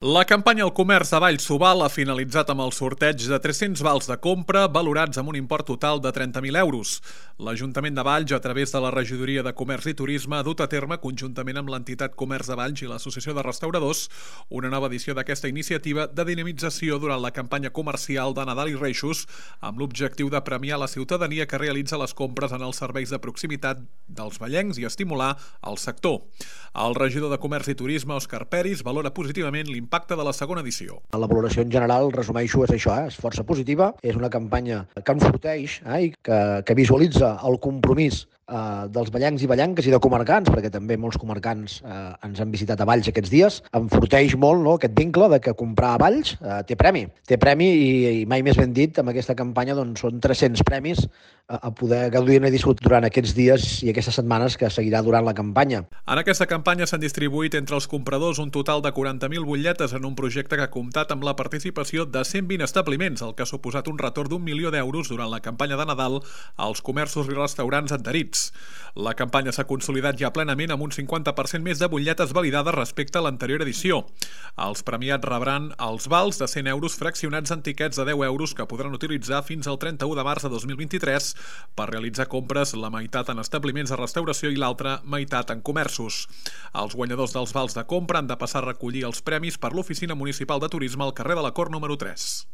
La campanya al comerç de Vallsubal ha finalitzat amb el sorteig de 300 vals de compra valorats amb un import total de 30.000 euros. L'Ajuntament de Valls, a través de la Regidoria de Comerç i Turisme, ha dut a terme, conjuntament amb l'entitat Comerç de Valls i l'Associació de Restauradors, una nova edició d'aquesta iniciativa de dinamització durant la campanya comercial de Nadal i Reixos, amb l'objectiu de premiar la ciutadania que realitza les compres en els serveis de proximitat dels vallencs i estimular el sector. El regidor de Comerç i Turisme, Òscar Peris, valora positivament l'impacte de la segona edició. La valoració en general, resumeixo, és això, és força positiva. És una campanya que enforteix i que visualitza el compromís dels vallencs i vallenques i de comarcants, perquè també molts comarcants ens han visitat a Valls aquests dies. Enforteix molt aquest vincle de que comprar a Valls té premi. Té premi i mai més ben dit, amb aquesta campanya són 300 premis a poder gaudir i disfrutar durant aquests dies i aquestes setmanes que seguirà durant la campanya. En aquesta campanya s'han distribuït entre els compradors un total de 40.000 butlletes en un projecte que ha comptat amb la participació de 120 establiments, el que ha suposat un retorn d'1 milió d'euros durant la campanya de Nadal als comerços i restaurants adherits. La campanya s'ha consolidat ja plenament amb un 50% més de butlletes validades respecte a l'anterior edició. Els premiats rebran els vals de 100 euros fraccionats en tiquets de 10 euros que podran utilitzar fins al 31 de març de 2023 per realitzar compres, la meitat en establiments de restauració i l'altra meitat en comerços. Els guanyadors dels vals de compra han de passar a recollir els premis per l'Oficina Municipal de Turisme al carrer de la Cort número 3.